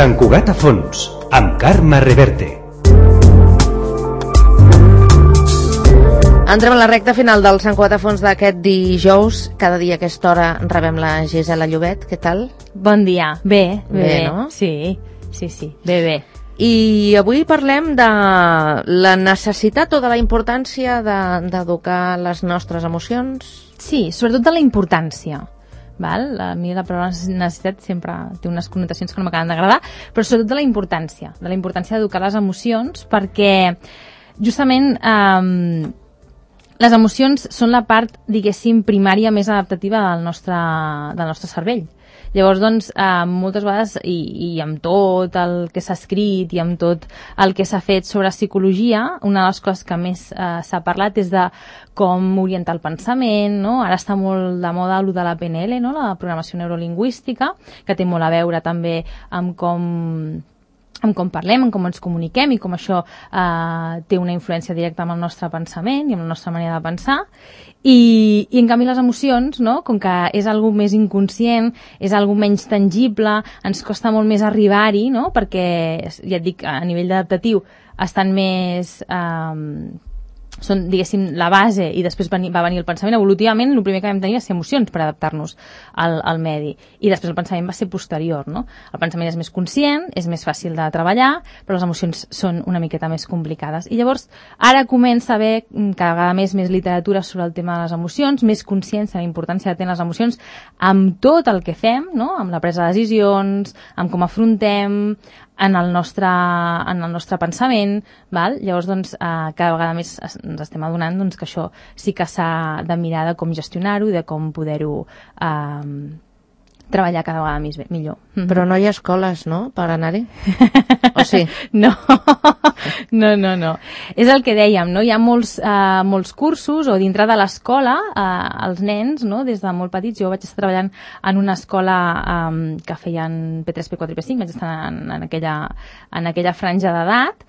Sant Cugat a fons, amb Carme Reverte. Entrem a la recta final del Sant Cugat a fons d'aquest dijous. Cada dia a aquesta hora rebem la Gisela Llobet. Què tal? Bon dia. Bé, no? Sí. Bé. I avui parlem de la necessitat o de la importància d'educar les nostres emocions? Sí, sobretot de la importància. Val? A mi la paraula necessitat sempre té unes connotacions que no m'acaben d'agradar, però sobretot de la importància d'educar les emocions, perquè justament les emocions són la part, diguéssim, primària més adaptativa del nostre cervell. Llavors, doncs, moltes vegades, i amb tot el que s'ha escrit i amb tot el que s'ha fet sobre psicologia, una de les coses que més s'ha parlat és de com orientar el pensament, no? Ara està molt de moda el de la PNL, no? La programació neurolingüística, que té molt a veure també amb com parlem, amb com ens comuniquem i com això té una influència directa amb el nostre pensament i amb la nostra manera de pensar. I en canvi les emocions, no? Com que és algo més inconscient, és algo menys tangible, ens costa molt més arribar-hi, no? Perquè, ja et dic, a nivell adaptatiu estan més... són, diguéssim, la base i després va venir el pensament. Evolutivament, el primer que vam tenir va ser emocions per adaptar-nos al medi. I després el pensament va ser posterior, no? El pensament és més conscient, és més fàcil de treballar, però les emocions són una miqueta més complicades. I llavors, ara comença a haver cada vegada més literatura sobre el tema de les emocions, més consciència de la importància que tenen les emocions amb tot el que fem, no? Amb la presa de decisions, amb com afrontem, en el nostre pensament, val? Llavors, doncs, cada vegada més ens estem adonant, doncs, que això sí que s'ha de mirar de com gestionar-ho i de com poder-ho treballar cada vegada millor. Però no hi ha escoles, no?, per anar-hi? O sí? No. És el que dèiem, no? Hi ha molts cursos, o dintre de l'escola, els nens, no?, des de molt petits. Jo vaig estar treballant en una escola que feien P3, P4 i P5, vaig estar en aquella franja d'edat,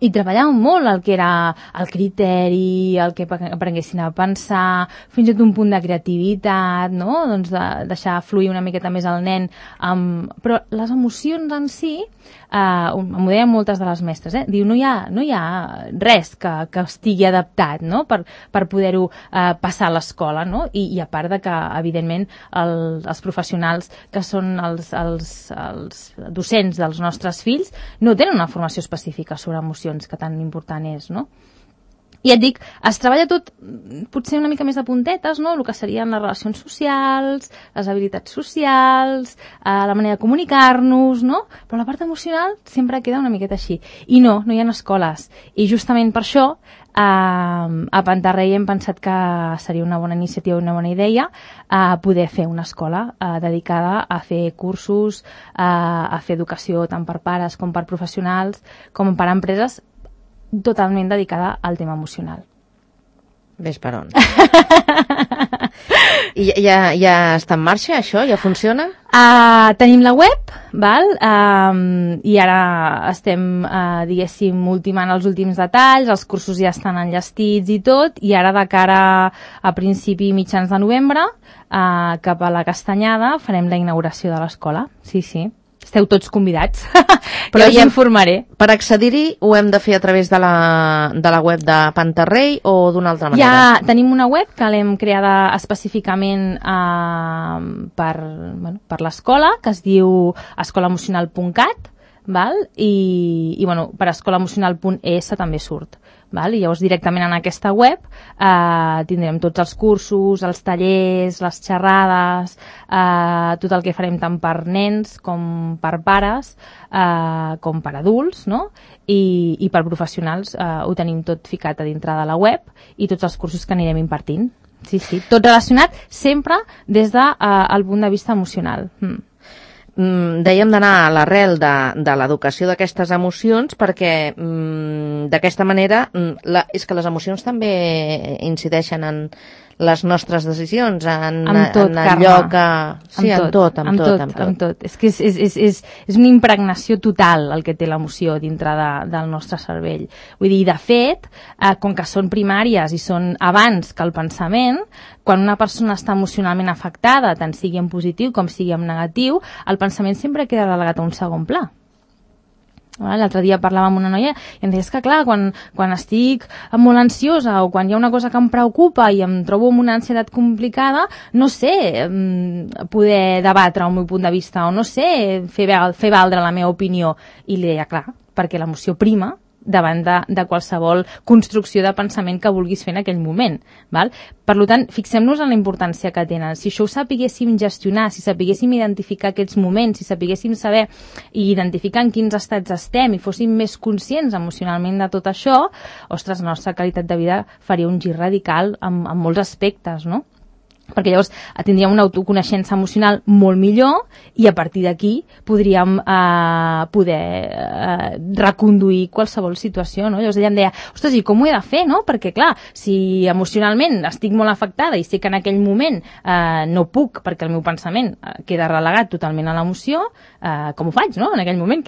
i treballàvem molt el que era el criteri, el que aprenguessin a pensar, fins i tot un punt de creativitat, no? Doncs de deixar fluir una miqueta més el nen. Però les emocions en si, m'ho deien moltes de les mestres, diu, no hi ha res que estigui adaptat, no? Per poder-ho passar a l'escola, no? I a part de que, evidentment, els professionals que són els docents dels nostres fills no tenen una formació específica sobre emocions, que tan important és, no? I et dic, es treballa tot potser una mica més de puntetes, no? El que serien les relacions socials, les habilitats socials, la manera de comunicar-nos, no? Però la part emocional sempre queda una miqueta així. I no hi ha escoles. I justament per això a Pantarrei hem pensat que seria una bona iniciativa, una bona idea poder fer una escola dedicada a fer cursos, a fer educació tant per pares com per professionals, com per empreses, totalment dedicada al tema emocional. Ves per on. I ja està en marxa, això? Ja funciona? Tenim la web, val? I ara estem, diguéssim, ultimant els últims detalls, els cursos ja estan enllestits i tot, i ara de cara a principi mitjans de novembre, cap a la Castanyada, farem la inauguració de l'escola. Sí. Esteu tots convidats, però ja informaré. Per accedir-hi ho hem de fer a través de la web de Pantarrei o d'una altra manera? Ja tenim una web que l'hem creada específicament per l'escola, que es diu escolaemocional.cat, val? I per escolaemocional.es també surt. Val? I llavors directament en aquesta web tindrem tots els cursos, els tallers, les xerrades, tot el que farem tant per nens com per pares, com per adults, no? I per professionals ho tenim tot ficat a dintre de la web i tots els cursos que anirem impartint. Sí, tot relacionat sempre des del punt de vista emocional. Dèiem d'anar a l'arrel de l'educació d'aquestes emocions perquè d'aquesta manera és que les emocions també incideixen en les nostres decisions en tot, allò Carme. que... Sí, amb tot. És que és una impregnació total el que té l'emoció dintre del nostre cervell. Vull dir, de fet, com que són primàries i són abans que el pensament, quan una persona està emocionalment afectada, tant sigui en positiu com sigui en negatiu, el pensament sempre queda delegat a un segon pla. L'altre dia parlava amb una noia i em deia, és que clar, quan estic molt ansiosa o quan hi ha una cosa que em preocupa i em trobo amb una ansietat complicada, no sé poder debatre el meu punt de vista o no sé fer valdre la meva opinió. I li deia, clar, perquè l'emoció prima davant de qualsevol construcció de pensament que vulguis fer en aquell moment. Val? Per tant, fixem-nos en la importància que tenen. Si això ho sapiguéssim gestionar, si sapiguéssim identificar aquests moments, si sapiguéssim saber i identificar en quins estats estem i fóssim més conscients emocionalment de tot això, ostres, la nostra qualitat de vida faria un gir radical en molts aspectes, no? Perquè llavors tindríem una autoconeixença emocional molt millor i a partir d'aquí podríem poder reconduir qualsevol situació, no? Llavors ella em deia, ostres, i com ho he de fer, no? Perquè clar, si emocionalment estic molt afectada i sé que en aquell moment no puc perquè el meu pensament queda relegat totalment a l'emoció, com ho faig, no? En aquell moment,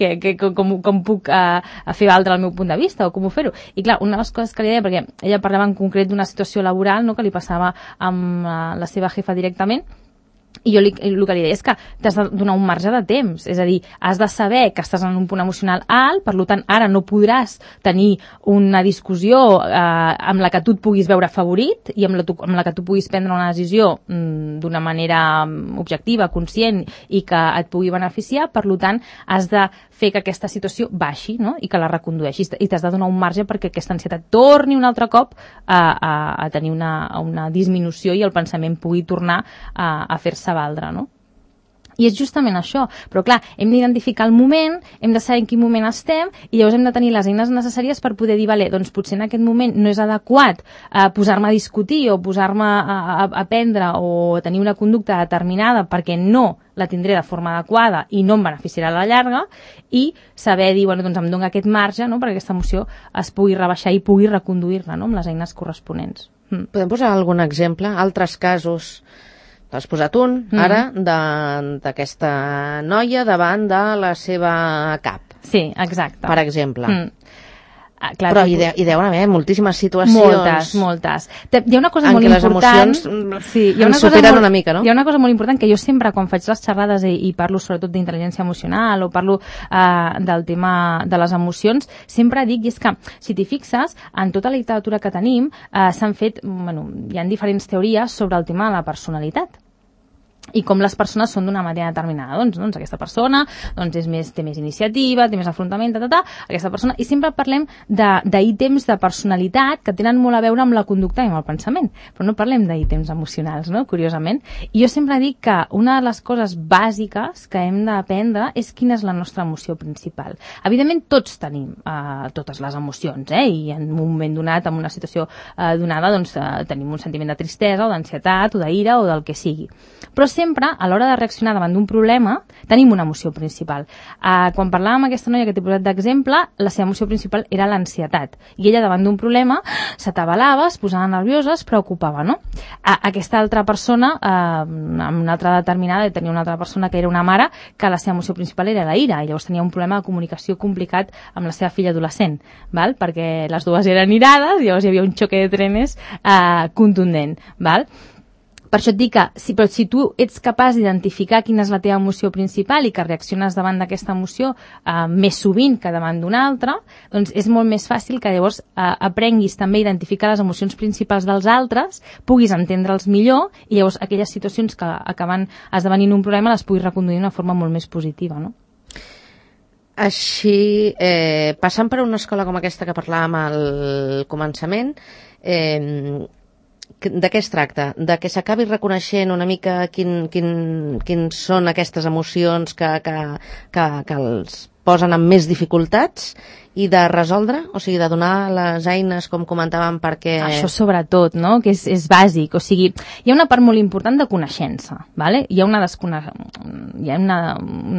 com puc fer valdre el meu punt de vista o com ho fer-ho? I clar, una de les coses que li deia, perquè ella parlava en concret d'una situació laboral, no?, que li passava amb la seva jefa directament, i jo el que li deia és que t'has de donar un marge de temps, és a dir, has de saber que estàs en un punt emocional alt, per tant ara no podràs tenir una discussió amb la que tu et puguis veure favorit i amb la que tu puguis prendre una decisió d'una manera objectiva, conscient i que et pugui beneficiar, per tant has de fer que aquesta situació baixi, no?, i que la recondueixis, i t'has de donar un marge perquè aquesta ansietat torni un altre cop a tenir una disminució i el pensament pugui tornar a fer-se valdre, no? I és justament això, però clar, hem d'identificar el moment, hem de saber en quin moment estem i llavors hem de tenir les eines necessàries per poder dir, vale, doncs potser en aquest moment no és adequat posar-me a discutir o posar-me a aprendre o tenir una conducta determinada perquè no la tindré de forma adequada i no em beneficiarà a la llarga, i saber dir, bueno, doncs em dono aquest marge, no?, perquè aquesta emoció es pugui rebaixar i pugui reconduir-la, no?, amb les eines corresponents. Podem posar algun exemple? Altres casos? T'has posat un, ara, d'aquesta noia davant de la seva cap. Sí, exacte. Per exemple. Clar, però hi deuen haver moltíssimes situacions... Moltes. Hi ha una cosa molt important... En què les emocions ens superen una mica, no? Hi ha una cosa molt important que jo sempre, quan faig les xerrades i parlo sobretot d'intel·ligència emocional o parlo del tema de les emocions, sempre dic, i és que, si t'hi fixes, en tota la literatura que tenim s'han fet... hi ha diferents teories sobre el tema de la personalitat i com les persones són d'una manera determinada. Doncs aquesta persona té més iniciativa, té més afrontament, aquesta persona, i sempre parlem d'ítems de personalitat que tenen molt a veure amb la conducta i amb el pensament, però no parlem d'ítems emocionals, no?, curiosament. I jo sempre dic que una de les coses bàsiques que hem d'aprendre és quina és la nostra emoció principal. Evidentment tots tenim totes les emocions, i en un moment donat, en una situació donada, tenim un sentiment de tristesa o d'ansietat o d'ira o del que sigui. Però sempre, a l'hora de reaccionar davant d'un problema, tenim una emoció principal. Quan parlàvem amb aquesta noia que t'he posat d'exemple, la seva emoció principal era l'ansietat. I ella, davant d'un problema, s'atabalava, es posava nerviosa, es preocupava, no? Aquesta altra persona, amb una altra determinada, tenia una altra persona que era una mare, que la seva emoció principal era la ira, i llavors tenia un problema de comunicació complicat amb la seva filla adolescent, val? Perquè les dues eren irades, i llavors hi havia un xoque de trenes contundent, val? Per això et dic que, però si tu ets capaç d'identificar quina és la teva emoció principal i que reacciones davant d'aquesta emoció més sovint que davant d'una altra, doncs és molt més fàcil que llavors aprenguis també a identificar les emocions principals dels altres, puguis entendre'ls millor i llavors aquelles situacions que acaben esdevenint un problema les puguis reconduir d'una forma molt més positiva, no? Així, passant per una escola com aquesta que parlàvem al començament, de què es tracta? De que s'acabi reconeixent una mica quins són aquestes emocions que els posen amb més dificultats i de resoldre, o sigui, de donar les eines, com comentàvem, perquè... Això sobretot, no?, que és bàsic. O sigui, hi ha una part molt important de coneixença, ¿vale? Hi ha una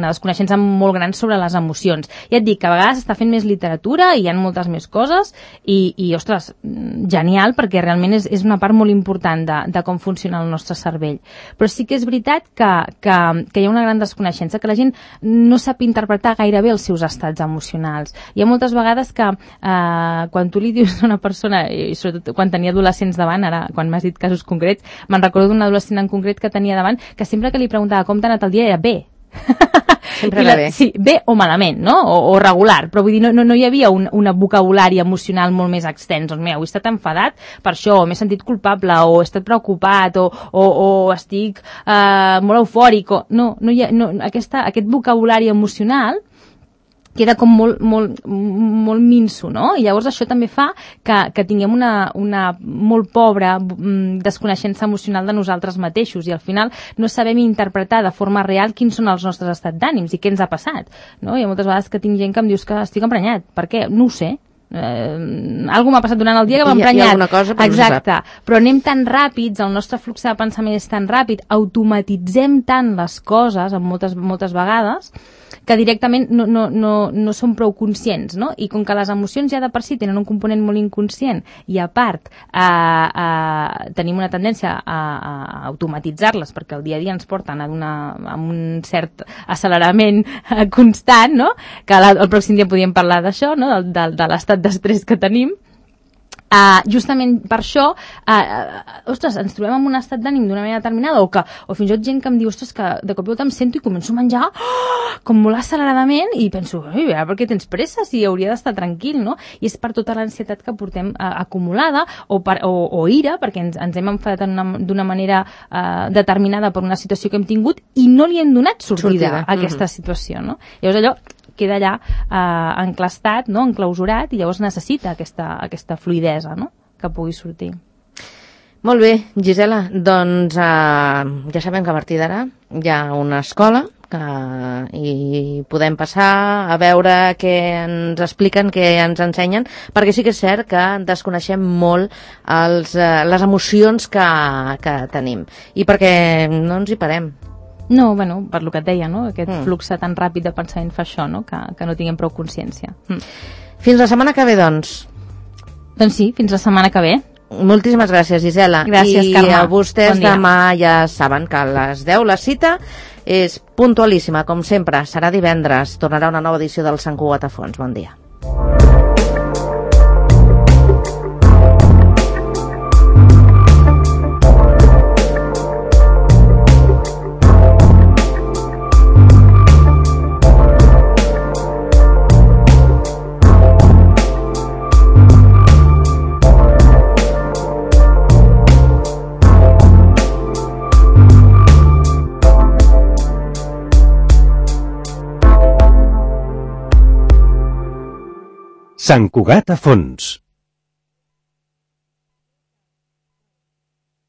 desconeixença molt gran sobre les emocions. Ja et dic que a vegades s'està fent més literatura i hi ha moltes més coses i ostres, genial, perquè realment és una part molt important de com funciona el nostre cervell. Però sí que és veritat que hi ha una gran desconeixença, que la gent no sap interpretar gairebé els seus estats emocionals. Hi ha moltes vegades que quan tu li dius a una persona, i sobretot quan tenia adolescents davant, ara quan m'has dit casos concrets, me'n recordo d'un adolescent en concret que tenia davant, que sempre que li preguntava com t'ha anat el dia era bé. Sempre era bé. Sí, bé o malament, no? O regular, però vull dir, no hi havia un vocabulari emocional molt més extens. Doncs mira, he estat enfadat per això, m'he sentit culpable, o he estat preocupat, o estic molt eufòric, no hi ha, aquest vocabulari emocional queda com molt minso, no? I llavors això també fa que tinguem una molt pobra desconeixença emocional de nosaltres mateixos i al final no sabem interpretar de forma real quins són els nostres estats d'ànims i què ens ha passat, no? Hi ha moltes vegades que tinc gent que em dius que estic emprenyat. Per què? No ho sé. Algú m'ha passat durant el dia que m'ha emprenyat. Hi ha alguna cosa, però exacte, però anem tan ràpids, el nostre flux de pensament és tan ràpid, automatitzem tant les coses moltes vegades que directament no som prou conscients, no? I com que les emocions ja de per si tenen un component molt inconscient i a part tenim una tendència a automatitzar-les perquè el dia a dia ens porten a un cert accelerament constant, no? Que el pròxim dia podríem parlar d'això, no? De l'estat d'estrès que tenim. Justament per això ostres, ens trobem en un estat d'ànim d'una manera determinada o fins i tot gent que em diu ostres, que de cop i volta em sento i començo a menjar com molt acceleradament i penso, per què tens pressa si hauria d'estar tranquil, no? I és per tota l'ansietat que portem acumulada o ira, perquè ens hem enfadat d'una manera determinada per una situació que hem tingut i no li hem donat sortida a aquesta situació, no? Llavors allò queda allà enclastat, no? Enclausurat, i llavors necessita aquesta fluïdesa, no? Que pugui sortir. Molt bé, Gisela, doncs ja sabem que a partir d'ara hi ha una escola i podem passar a veure què ens expliquen, què ens ensenyen, perquè sí que és cert que desconeixem molt les emocions que tenim i perquè no ens hi parem. No, bueno, per lo que et deia, no? Aquest flux tan ràpid de pensament fa això, no? Que no tinguem prou consciència. Fins la setmana que ve, doncs. Doncs sí, fins la setmana que ve. Moltíssimes gràcies, Gisela. Gràcies, Carme. I a vostès bon demà ja saben que a les 10 la cita és puntualíssima, com sempre. Serà divendres. Tornarà una nova edició del Sant Cugat a Fons. Bon dia. Sant Cugat a Fons.